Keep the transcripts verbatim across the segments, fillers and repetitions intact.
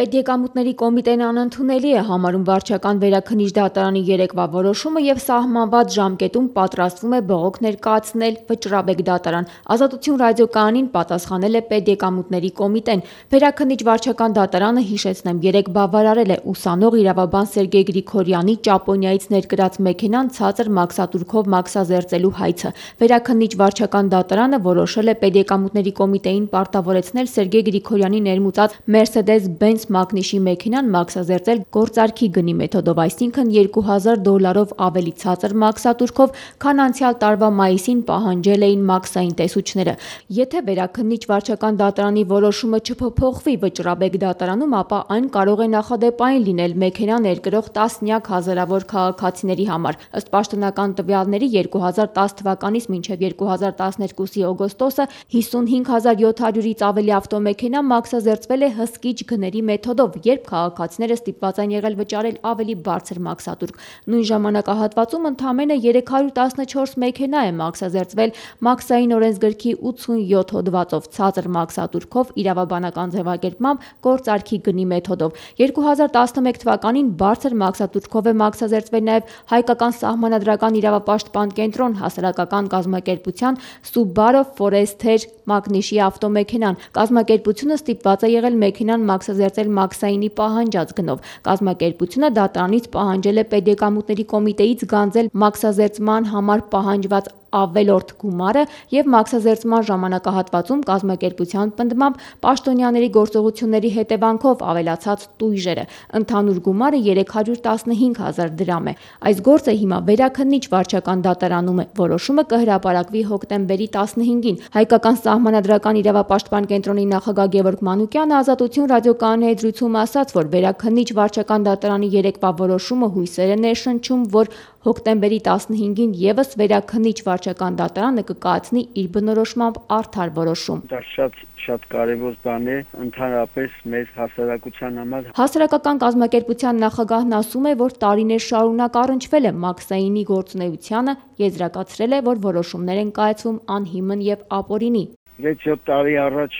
Պետեկամուտների կոմիտեն անընդունելի է համարում վարչական վերաքննիչ դատարանի երեկվա որոշումը և սահմանված ժամկետում պատրաստվում է բողոք ներկայացնել Վճռաբեկ դատարան։ Ազատություն ռադիոկայանին պատասխանել է Պետեկամուտների կոմիտեն։ Վերաքննիչ վարչական դատարանը, հիշեցնեմ, երեկ բավարարել է ուսանող իրավաբան Սերգեյ Գրիգորյանի Ճապոնիայից ներկրած մեքենան ցածր մաքսատուրքով մաքսազերծելու հայցը։ Վերաքննիչ վարչական դատարանը որոշել է Պետեկամուտների կոմիտեին պարտավորեցնել Սերգեյ Գրիգորյանի ներմուծած Mercedes-Benz մակնիշի մեքենան մաքսազերծել գործարքի գնի մեթոդով, այսինքն երկու հազար դոլարով ավելի ցածր մաքսատուրքով, քան անցյալ տարվա մայիսին պահանջել էին մաքսային տեսուչները։ Եթե վերաքննիչ վարչական դատարանի որոշումը չփոփոխվի Վճռաբեկ դատարանում, ապա այն կարող է նախադեպային լինել մեքենա ներկրող տասնյակ հազարավոր քաղաքացիների համար։ Ըստ պաշտոնական տվյալների, երկու հազար տաս թվականից մինչև երկու հազար տասներկուսի օգոստոսը հիսունհինգ հազար յոթ հարյուրից ավելի ավտոմեքենա մաքսազերծվել է հսկիչ գների մեթոդով, երբ քաղաքացիները ստիպված են եղել վճարել ավելի բարձր մաքսատուրք։ Նույն ժամանակահատվածում ընդամենը երեք հարյուր տասնչորս մեքենա է մաքսազերծվել մաքսային օրենսգրքի ութսունյոթ հոդվածով ցածր մաքսատուրքով, իրավաբանական ձևակերպմամբ գործարքի գնի մեթոդով։ երկու հազար տասնմեկ թվականին բարձր մաքսատուրքով է մաքսազերծվել նաև Հայկական սահմանադրական իրավապաշտպան կենտրոն հասարակական կազմակերպության Subaru Forester մակնիշի ավտոմեքենան։ Կազմակերպությունը ստիպված է եղել մեքենան մաքսազերծել մաքսայինի պահանջած գնով։ Կազմակերպությունը դատարանից պահանջել է Պետեկամուտների կոմիտեից գանձել մաքսազերծման համար պահանջված ավելորդ գումարը և մաքսազերծման ժամանակահատվածում կազմակերպության պնդմամբ պաշտոնյաների գործողությունների հետևանքով ավելացած տույժերը։ Ընդհանուր գումարը երեք հարյուր տասնհինգ հազար դրամ է։ Այս գործը հիմա վերաքննիչ վարչական դատարանում է։ Որոշումը կհրապարակվի հոկտեմբերի տասնհինգին։ Հայկական սահմանադրական իրավապաշտպան կենտրոնի նախագահ Գևորգ Մանուկյանը Ազատություն ռադիոկայանի հետ զրույցում ասաց, որ վերաքննիչ վարչական դատարանի երեկվա որոշումը հույսեր է ներշնչում, որ հոկտեմբերի տասնհինգին ևս վերաքննիչ վարչական դատարանը կկայացնի իր բնորոշմամբ արդար որոշում։ Դա շատ շատ կարևոր բան է ընդհանրապես մեր հասարակության համար։ Հասարակական կազմակերպության նախագահն ասում է, որ տարիներ շարունակ առնչվել է մաքսայինի գործունեությանը, եզրակացրել է, որ որոշումներ են կայացվում անհիմն և ապօրինի։ վեց-յոթ տարի առաջ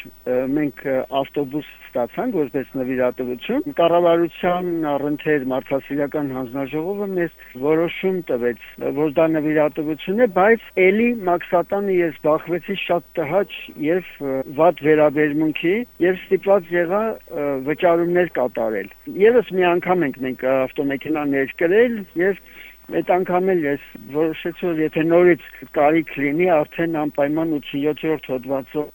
մենք ավտոբուս ստացանք որպես նվիրատվություն։ Կառավարության առընթեր մարդասիրական հանձնաժողովը մեզ որոշում տվեց, որ դա նվիրատվություն է, բայց ելի մաքսատանը ես բախվեցի շատ տհաճ եւ վատ վերաբերմունքի եւ ստիպված եղա վճարումներ կատարել։ Եվս մի անգամ ենք մենք ավտոմեքենա ներկրել եւ այդ անգամ էլ ես որոշեցի, որ եթե նորից կարիք լինի, արդեն անպայման ութսունյոթ հոդվածով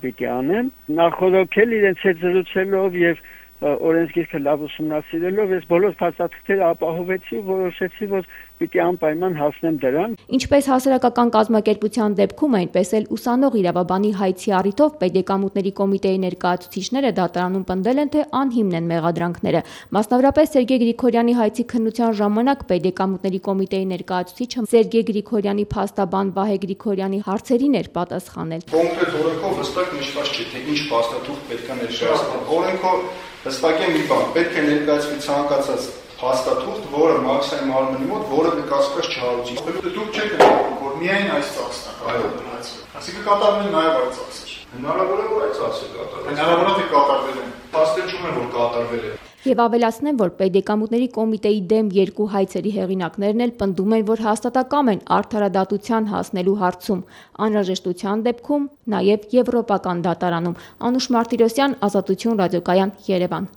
պիտի անեմ։ Նախորոքել իրենց հետ զրուցելով եւ օրենսգիրքը լավ ուսումնասիրելով ես բոլոր փաստաթղթերը ապահովեցի ու որոշեցի, որ պիտի անպայման հասնեմ դրան։ Ինչպես հասարակական կազմակերպության դեպքում, այնպես էլ ուսանող իրավաբանի հայցի առիթով Պետեկամուտների կոմիտեի ներկայացուցիչները դատարանում պնդել են, թե անհիմն են մեղադրանքները։ Մասնավորապես Սերգեյ Գրիգորյանի հայցի քննության ժամանակ Պետեկամուտների կոմիտեի ներկայացուցիչը Սերգեյ Գրիգորյանի փաստաբան Վահե Գրիգորյանի հարցերին էր պատասխանել։ Կոնկրետ օրենքով հստակ նշված չէ, թե ինչ փաստաթուղթ պետք է ներկայացնել։ Օրենքով հստակ է մի բան, պետք է ներկայացվի ցանկացած փաստաթուղթ, որը մաքսային մարմնի մոտ որևէ կասկած չհարուցի։ Դուք չեք նշում, որ միայն այս ծախսն է կատարվել։ Այսինքն կատարվել նաև այդ ծախսը։ Հնարավոր է, որ այդ ծախսը կատարվել։ Հնարավոր է, թե կատարվել է։ Փաստեր չունեն, որ կատարվել է։ Եվ ավելացնեմ, որ Պետեկամուտների կոմիտեի դեմ երկու հայցերի հեղինակներն էլ պնդում են, որ հաստատակամ են արդարադատության հասնելու հարցում, անհրաժեշտության դեպքում նաև եվրոպական դատարանում։ Անուշ Մարտիրոսյան, Ազատություն ռադիոկայան, Երևան։